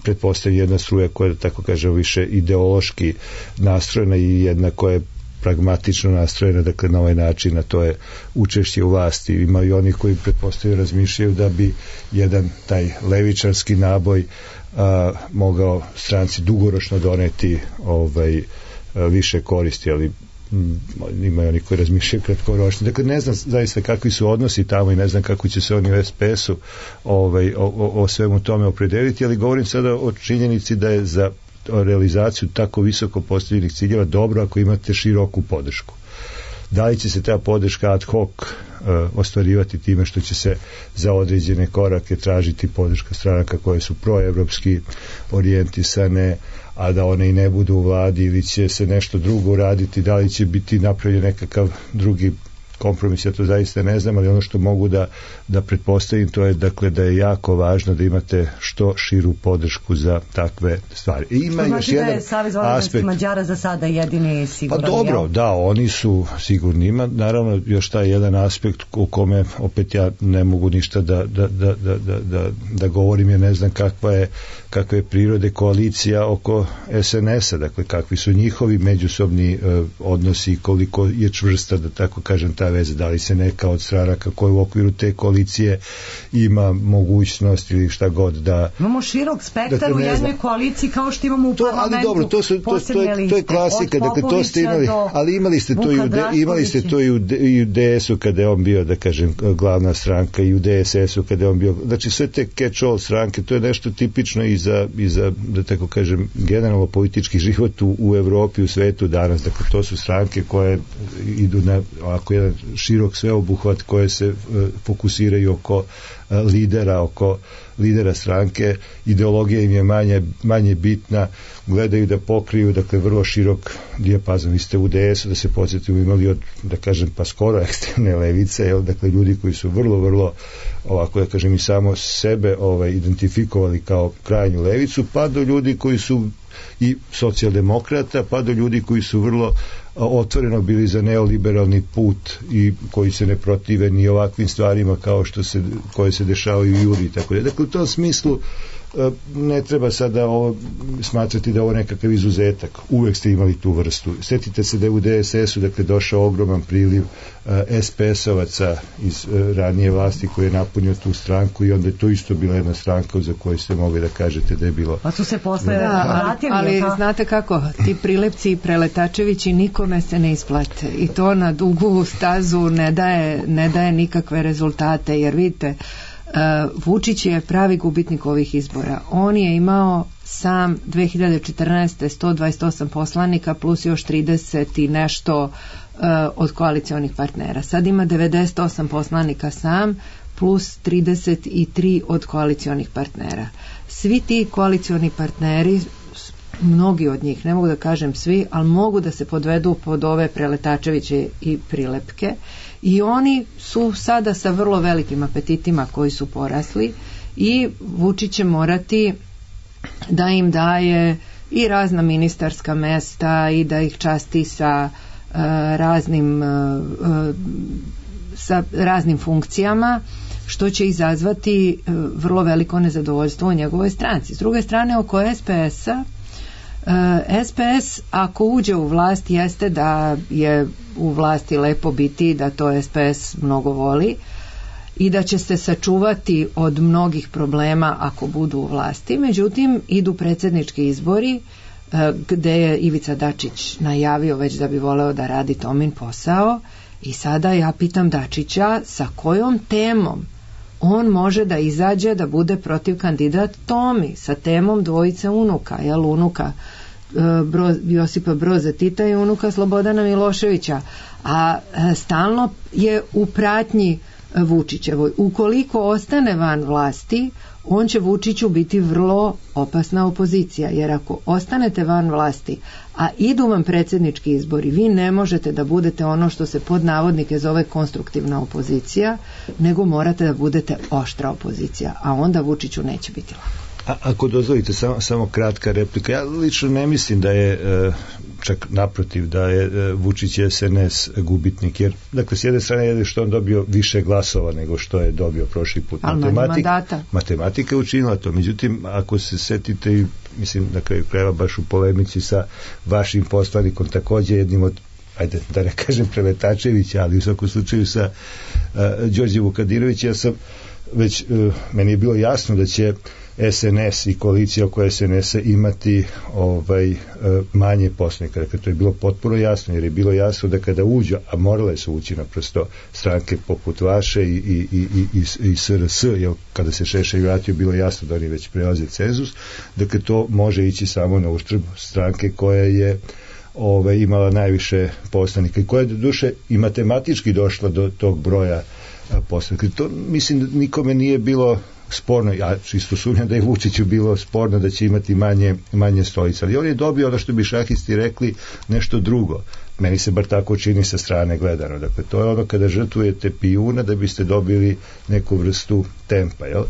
pretpostavljena jedna struja koja je, tako kažem, više ideološki nastrojena i jedna koja je pragmatično nastrojena, dakle na ovaj način, a to je učešće u vlasti. Ima i oni koji pretpostavljaju razmišljaju da bi jedan taj levičarski naboj a, mogao stranci dugoročno doneti ovaj, a, više koristi, ali m, ima i oni koji razmišljaju kratkoročno. Dakle, ne znam zaista kakvi su odnosi tamo i ne znam kako će se oni u S P S-u ovaj, o, o, o svemu tome opredeliti, ali govorim sada o činjenici da je za realizaciju tako visoko postavljenih ciljeva dobro ako imate široku podršku. Da li će se ta podrška ad hoc uh, ostvarivati time što će se za određene korake tražiti podrška stranaka koje su proevropski orijentisane, a da one i ne budu u vladi, ili će se nešto drugo uraditi, da li će biti napravljen nekakav drugi kompromis, ja to zaista ne znam, ali ono što mogu da, da pretpostavim to je dakle da je jako važno da imate što širu podršku za takve stvari. I ima što još znači jedan da je Savez vojvođanskih Mađara za sada jedini siguran? Pa dobro, jel? da, oni su sigurni. Ima naravno još taj jedan aspekt u kome opet ja ne mogu ništa da, da, da, da, da, da, da govorim, jer ne znam kakva je, kakva je prirode koalicija oko es en es a, dakle kakvi su njihovi međusobni uh, odnosi, koliko je čvrsta, da tako kažem, ta veza, da li se neka od stranaka koja u okviru te koalicije ima mogućnost ili šta god da... Imamo širok spektar dakle, u jednoj znam. koaliciji kao što imamo u to, parlamentu. Ali dobro, to, su, to, to, je, to je klasika, dakle to ste imali, ali imali ste to i u, de, imali ste to i u, i u de es u kada je on bio, da kažem, glavna stranka, i u de es es u kada je on bio, znači sve te catch-all stranke, to je nešto tipično i za, i za, da tako kažem, generalno politički život u, u Evropi, u svetu danas, dakle to su stranke koje idu na ovako jedan širok sveobuhvat, koje se uh, fokusiraju oko uh, lidera, oko lidera stranke, ideologija im je manje, manje bitna, gledaju da pokriju, dakle, vrlo širok dijapazon. Vi ste u de es u, da se podsjetimo, imali od, da kažem, pa skoro ekstremne levice, jel, dakle, ljudi koji su vrlo, vrlo, ovako, da kažem, i samo sebe ovaj, identifikovali kao krajnju levicu, pa do ljudi koji su i socijaldemokrata, pa do ljudi koji su vrlo otvoreno bili za neoliberalni put i koji se ne protive ni ovakvim stvarima kao što se, koje se dešavaju i Juri, tako da. Dakle, u tom smislu ne treba sada ovo smatrati da je ovo nekakav izuzetak. Uvek ste imali tu vrstu. Sjetite se da je u de es es u, dakle, došao ogroman priliv es pe es ovaca iz ranije vlasti koji je napunio tu stranku i onda je to isto bila jedna stranka za koju ste mogli da kažete da je bilo... Pa su se posle da, vratili. Ali, ali znate kako, ti Prilepci i Preletačevići nikome se ne isplate i to na dugu stazu ne daje, ne daje nikakve rezultate, jer vidite, Uh, Vučić je pravi gubitnik ovih izbora. On je imao sam dve hiljade četrnaeste. sto dvadeset osam poslanika plus još trideset i nešto uh, od koalicionih partnera. Sad ima devedeset osam poslanika sam plus trideset tri od koalicionih partnera. Svi ti koalicioni partneri, mnogi od njih, ne mogu da kažem svi, ali mogu da se podvedu pod ove Preletačeviće i Prilepke, i oni su sada sa vrlo velikim apetitima koji su porasli i Vučić će morati da im daje i razna ministarska mesta i da ih časti sa uh, raznim uh, uh, sa raznim funkcijama, što će izazvati uh, vrlo veliko nezadovoljstvo u njegovoj stranci. S druge strane, oko es pe es a, es pe es ako uđe u vlast, jeste da je u vlasti lepo biti, da to es pe es mnogo voli i da će se sačuvati od mnogih problema ako budu u vlasti. Međutim, idu predsjednički izbori gde je Ivica Dačić najavio već da bi voleo da radi Tomin posao, i sada ja pitam Dačića sa kojom temom on može da izađe da bude protiv kandidat Tomi, sa temom dvojice unuka, jel, unuka Bro, Josipa Broza Tita i unuka Slobodana Miloševića, a stalno je u pratnji Vučićevoj. Ukoliko ostane van vlasti, on će Vučiću biti vrlo opasna opozicija, jer ako ostanete van vlasti, a idu vam predsjednički izbori, vi ne možete da budete ono što se pod navodnike zove konstruktivna opozicija, nego morate da budete oštra opozicija, a onda Vučiću neće biti lako. A, ako dozvolite, samo, samo kratka replika. Ja lično ne mislim da je, čak naprotiv, da je Vučić i es en es gubitnik, jer, dakle, s jedne strane je što on dobio više glasova nego što je dobio prošli put. Matematik, matematika je učinila to. Međutim, ako se setite, i mislim, na kraju krajeva baš u polemici sa vašim poslanikom, također jednim od, ajde da ne kažem Preletačevića, ali u svakom slučaju sa uh, Đorđem Vukadirovićem, ja sam već, uh, meni je bilo jasno da će es en es i koalicija oko es en es a imati ovaj, manje poslanika. Dakle, to je bilo potpuno jasno, jer je bilo jasno da kada uđu, a morale su ući naprosto stranke poput vaše i, i, i, i, i es er es, jer kada se Šešelj vratio, bilo jasno da oni već prelaze cenzus, dakle to može ići samo na uštrb stranke koja je ovaj, imala najviše poslanika i koja je do duše i matematički došla do tog broja poslanika. To mislim da nikome nije bilo sporno, ja čisto sumnjam da je Vučiću bilo sporno da će imati manje, manje stolica, ali on je dobio ono što bi šahisti rekli nešto drugo. Meni se bar tako čini sa strane gledano. Dakle, to je ono kada žrtvujete pijuna da biste dobili neku vrstu tempa, jel?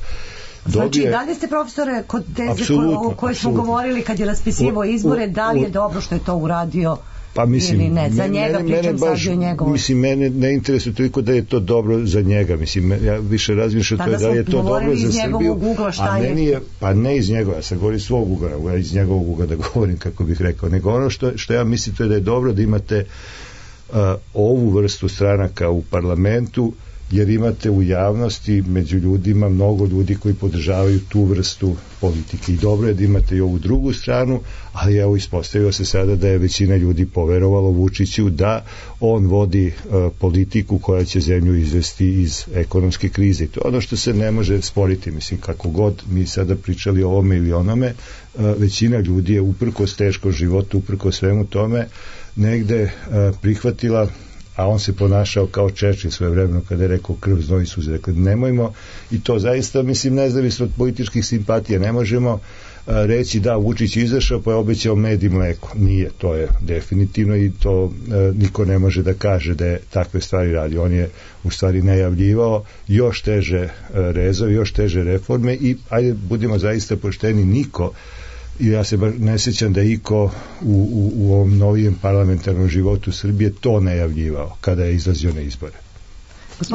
Znači, Dobije... da li ste, profesore, kod teze o kojoj smo govorili kad je raspisivo izbore, da li je dobro što je to uradio pa, mislim, ili ne? Za mene, njega mene, pričam baš, sad i o njegovom. Mislim, mene ne interesuje toliko da je to dobro za njega. Mislim, ja više razmišljam to je da je to dobro za Srbiju. Ugla, a meni je, pa ne iz njegova, ja sam govorim svog ugla, ja iz njegovog ugla da govorim, kako bih rekao. Nego ono što, što ja mislim to je da je dobro da imate uh, ovu vrstu stranaka u parlamentu, jer imate u javnosti među ljudima mnogo ljudi koji podržavaju tu vrstu politike i dobro je da imate i ovu drugu stranu, ali evo ispostavio se sada da je većina ljudi poverovalo Vučiću da on vodi uh, politiku koja će zemlju izvesti iz ekonomske krize. To je ono što se ne može sporiti, mislim, kako god mi sada pričali o ovome ili onome, uh, većina ljudi je uprkos teškom životu, uprkos svemu tome negde uh, prihvatila, a on se ponašao kao Čerčil svoje vremeno kada je rekao krv, znoj i suze. Dakle, nemojmo, i to zaista, mislim, nezavisno od političkih simpatija, ne možemo a, reći da Vučić izašao pa je obećao med i mleko. Nije, to je definitivno i to a, niko ne može da kaže da je takve stvari radi. On je u stvari najavljivao još teže a, rezove, još teže reforme i ajde, budimo zaista pošteni, niko i ja se baš ne sjećam da iko u, u, u ovom novijem parlamentarnom životu Srbije to najavljivao kada je izlazio na izbore.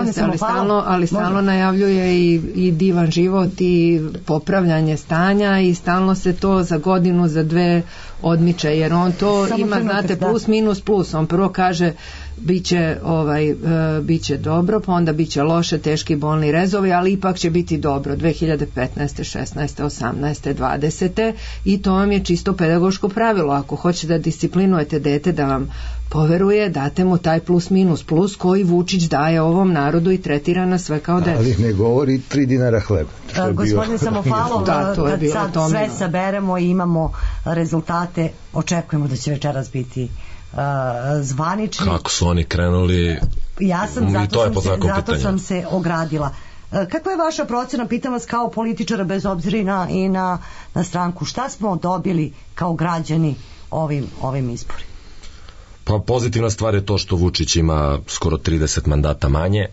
Jeste, ali stalno, ali stalno najavljuje i, i divan život i popravljanje stanja i stalno se to za godinu, za dve odmiče, jer on to Samo ima, znate, plus, minus, plus. On prvo kaže biće, ovaj, e, biće dobro, pa onda biće loše, teški bolni rezovi, ali ipak će biti dobro dve hiljade petnaeste, šesnaeste, osamnaeste, dvadesete i to vam je čisto pedagoško pravilo. Ako hoćete da disciplinujete dete da vam poveruje, date mu taj plus minus plus koji Vučić daje ovom narodu i tretira na sve kao decu. Ali ne govori tri dinara hleba. Uh, gospodin Samofalov, da, to je kad sad sve saberemo i imamo rezultate, očekujemo da će večeras biti uh, zvanični. Kako su oni krenuli, ja sam, zato, to je sam se, zato sam se ogradila. Uh, kakva je vaša procena, pitam vas kao političara bez obzira i na, i na, na stranku, šta smo dobili kao građani ovim, ovim izborima? Pa pozitivna stvar je to što Vučić ima skoro trideset mandata manje.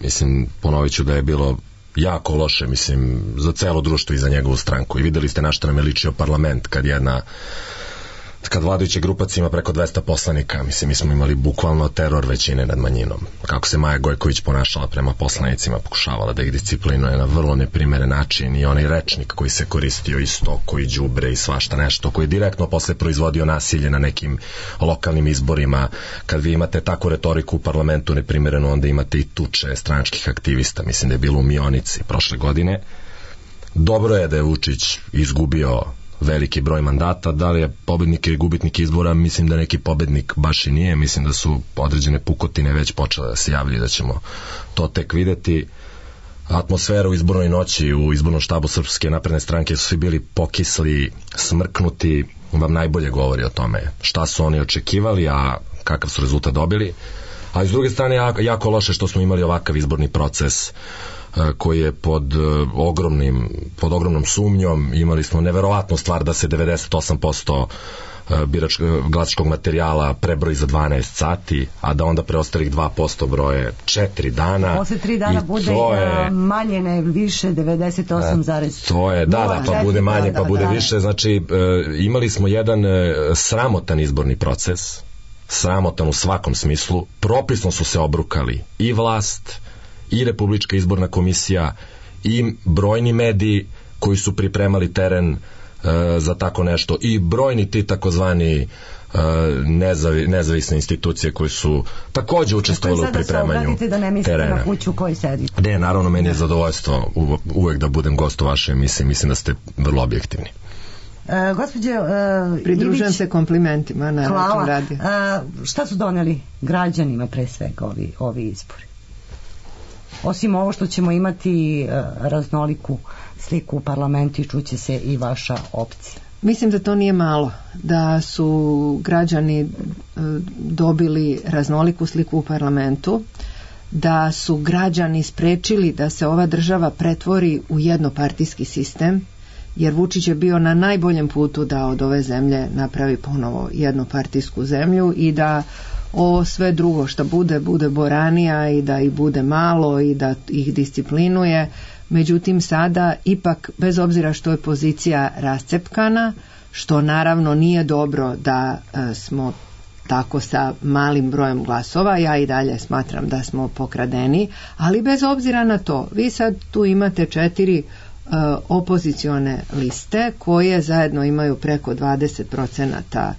Mislim, ponovit ću da je bilo jako loše, mislim, za celo društvo i za njegovu stranku. I videli ste na što nam je ličio parlament kad jedna kad vladajuća grupacija ima preko dvesta poslanika. Mislim, mi smo imali bukvalno teror većine nad manjinom. Kako se Maja Gojković ponašala prema poslanicima, pokušavala da ih disciplinuje na vrlo neprimeren način i onaj rečnik koji se koristio isto, koji đubre i svašta nešto, koji je direktno posle proizvodio nasilje na nekim lokalnim izborima. Kad vi imate takvu retoriku u parlamentu neprimerenu, onda imate i tuče stranačkih aktivista. Mislim da je bilo u Mionici prošle godine. Dobro je da je Vučić izgubio veliki broj mandata, da li je pobednik ili gubitnik izbora, mislim da neki pobednik baš i nije, mislim da su određene pukotine već počele da se javljaju, da ćemo to tek videti. Atmosfera u izbornoj noći u izbornom štabu Srpske napredne stranke su svi bili pokisli, smrknuti, vam najbolje govori o tome šta su oni očekivali, a kakav su rezultat dobili. A s druge strane jako, jako loše što smo imali ovakav izborni proces koji je pod ogromnim pod ogromnom sumnjom. Imali smo neverovatnu stvar da se devedeset osam posto birač, glasačkog materijala prebroji za dvanaest sati, a da onda preostalih dva posto broje četiri dana. Posle tri dana bude je, manje ne više devedeset osam zarez nula. To je, da, da, pa bude manje, da, pa bude da, više. Znači, imali smo jedan sramotan izborni proces, sramotan u svakom smislu. Propisno su se obrukali i vlast, i Republička izborna komisija, i brojni mediji koji su pripremali teren uh, za tako nešto, i brojni ti takozvani uh, nezavi, nezavisne institucije koji su takođe učestvovali u pripremanju da ne mislite terena. Na kuću u kojoj sedite. Ne, naravno, meni je zadovoljstvo u, uvek da budem gost u vašoj emisiji, mislim da ste vrlo objektivni. Uh, gospođe uh, Pridružujem Ivić, se komplimentima na hvala. Radio. Uh, šta su doneli građanima pre svega ovi, ovi izbori? Osim ovo što ćemo imati uh, raznoliku sliku u parlamentu i čuće se i vaša opcija. Mislim da to nije malo, da su građani uh, dobili raznoliku sliku u parlamentu, da su građani sprečili da se ova država pretvori u jednopartijski sistem jer Vučić je bio na najboljem putu da od ove zemlje napravi ponovo jednopartijsku zemlju i da ovo sve drugo što bude, bude boranija i da ih bude malo i da ih disciplinuje. Međutim, sada ipak, bez obzira što je pozicija rascepkana, što naravno nije dobro da e, smo tako sa malim brojem glasova, ja i dalje smatram da smo pokradeni, ali bez obzira na to, vi sad tu imate četiri e, opozicione liste koje zajedno imaju preko dvadeset procenata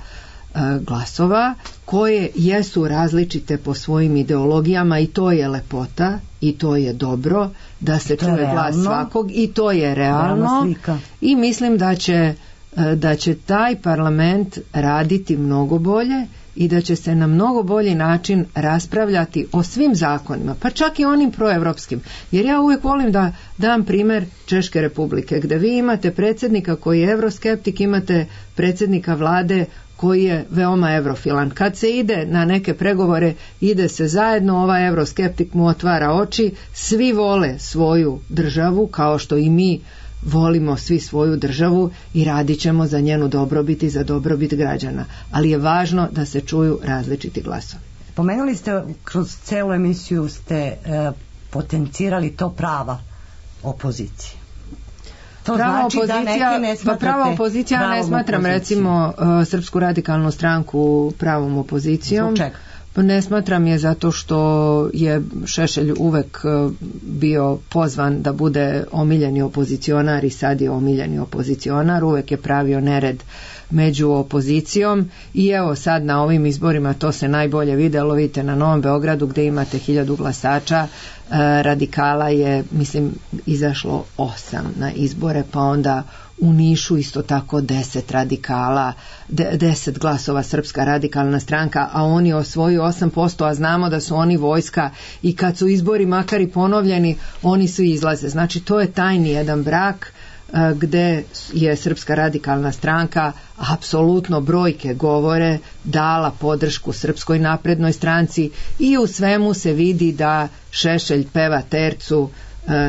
glasova, koje jesu različite po svojim ideologijama i to je lepota i to je dobro da se čuje glas svakog i to je realno i mislim da će, da će taj parlament raditi mnogo bolje i da će se na mnogo bolji način raspravljati o svim zakonima, pa čak i onim proevropskim. Jer ja uvijek volim da dam primjer Češke republike, gdje vi imate predsjednika koji je evroskeptik, imate predsjednika vlade koji je veoma evrofilan. Kad se ide na neke pregovore, ide se zajedno, ovaj evroskeptik mu otvara oči, svi vole svoju državu, kao što i mi volimo svi svoju državu i radit ćemo za njenu dobrobit i za dobrobit građana. Ali je važno da se čuju različiti glasovi. Spomenuli ste, kroz celu emisiju ste e, potencirali to prava opozicije. To prava znači opozicija, da ne pa prava opozicija ne smatram opoziciju. Recimo uh, Srpsku radikalnu stranku pravom opozicijom. Zbog čega? Ne smatram je zato što je Šešelj uvek bio pozvan da bude omiljeni opozicionar i sad je omiljeni opozicionar, uvek je pravio nered među opozicijom i evo sad na ovim izborima to se najbolje videlo, vidite na Novom Beogradu gdje imate hiljadu glasača, radikala je mislim izašlo osam na izbore, pa onda u Nišu isto tako deset radikala, de, deset glasova Srpska radikalna stranka, a oni osvoju osam posto, a znamo da su oni vojska i kad su izbori makar i ponovljeni, oni svi izlaze. Znači to je tajni jedan brak gde je Srpska radikalna stranka, apsolutno brojke govore, dala podršku Srpskoj naprednoj stranci i u svemu se vidi da Šešelj peva tercu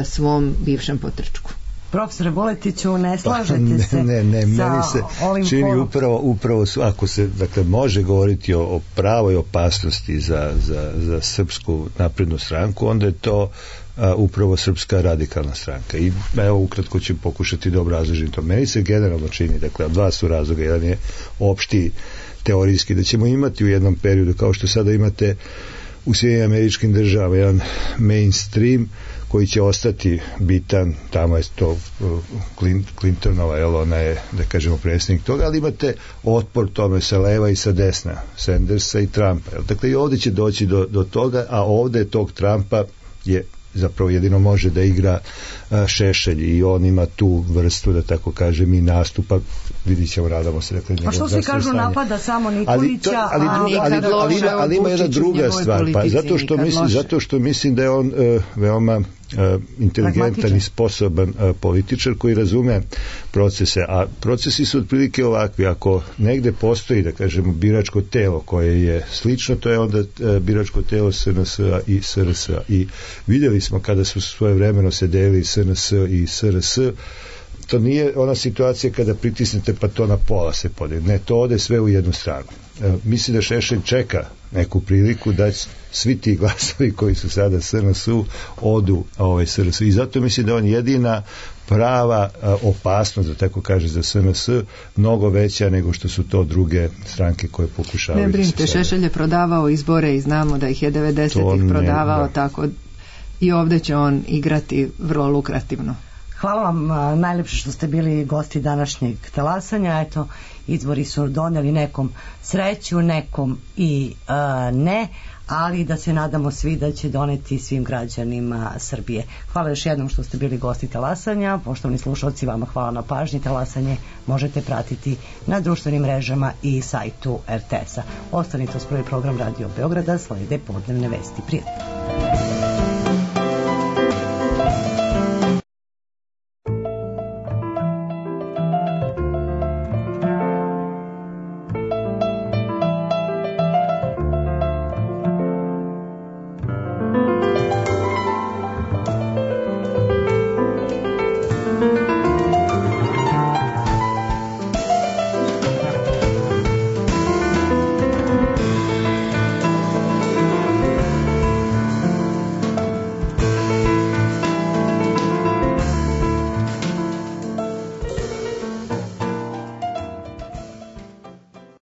svom bivšem potrčku. Profesore Vuletiću, ne slažete se ne, ne, ne, sa meni se ovim čini polom? upravo, upravo su, ako se dakle, može govoriti o, o pravoj opasnosti za, za, za Srpsku naprednu stranku, onda je to a, upravo Srpska radikalna stranka. I evo ukratko ću pokušati da obrazložim to. Meni se generalno čini, dakle, dva su razloga. Jedan je opšti teorijski, da ćemo imati u jednom periodu, kao što sada imate u Sjedinjenim Američkim Državama, jedan mainstream koji će ostati bitan, tamo je to Clintonova, jel, ona je, da kažemo, predsjednik toga, ali imate otpor tome sa leva i sa desna, Sandersa i Trumpa. Jel? Dakle, i ovdje će doći do, do toga, a ovdje tog Trumpa je zapravo jedino može da igra a, Šešelj i on ima tu vrstu, da tako kažem, i nastupa, vidit ćemo, radamo se. Dakle, a što svi kažu stanje. Napada samo Nikolića, ali, to, ali, druga, ali, ali, ali, ima, ali ima jedna druga stvar, pa zato što, mislim, zato što mislim da je on uh, veoma Uh, inteligentan i sposoban uh, političar koji razume procese, a procesi su otprilike ovakvi. Ako negde postoji, da kažemo, biračko telo koje je slično, to je onda uh, biračko telo S N S-a i S R S-a i vidjeli smo kada su svoje vremeno se delili S N S i S R S, to nije ona situacija kada pritisnete pa to na pola se podeli, ne, to ode sve u jednu stranu. Uh, mislim da Šešelj čeka neku priliku da svi ti glasovi koji su sada S N S-u odu ovaj S R S-u i zato mislim da on jedina prava a, opasnost, da tako kaže, za S N S mnogo veća nego što su to druge stranke koje pokušavaju. Ne brinite, Šešelj je prodavao izbore i znamo da ih je devedesetih prodavao, tako i ovdje će on igrati vrlo lukrativno. Hvala vam a, najlepše što ste bili gosti današnjeg talasanja. Eto, izbori su doneli nekom sreću, nekom i a, ne, ali da se nadamo svi da će doneti svim građanima Srbije. Hvala još jednom što ste bili gosti talasanja. Poštovani slušalci, vama hvala na pažnji. Talasanje možete pratiti na društvenim mrežama i sajtu R T S-a. Ostanite uz prvi program Radio Beograda, slede podnevne vesti. Prijatno.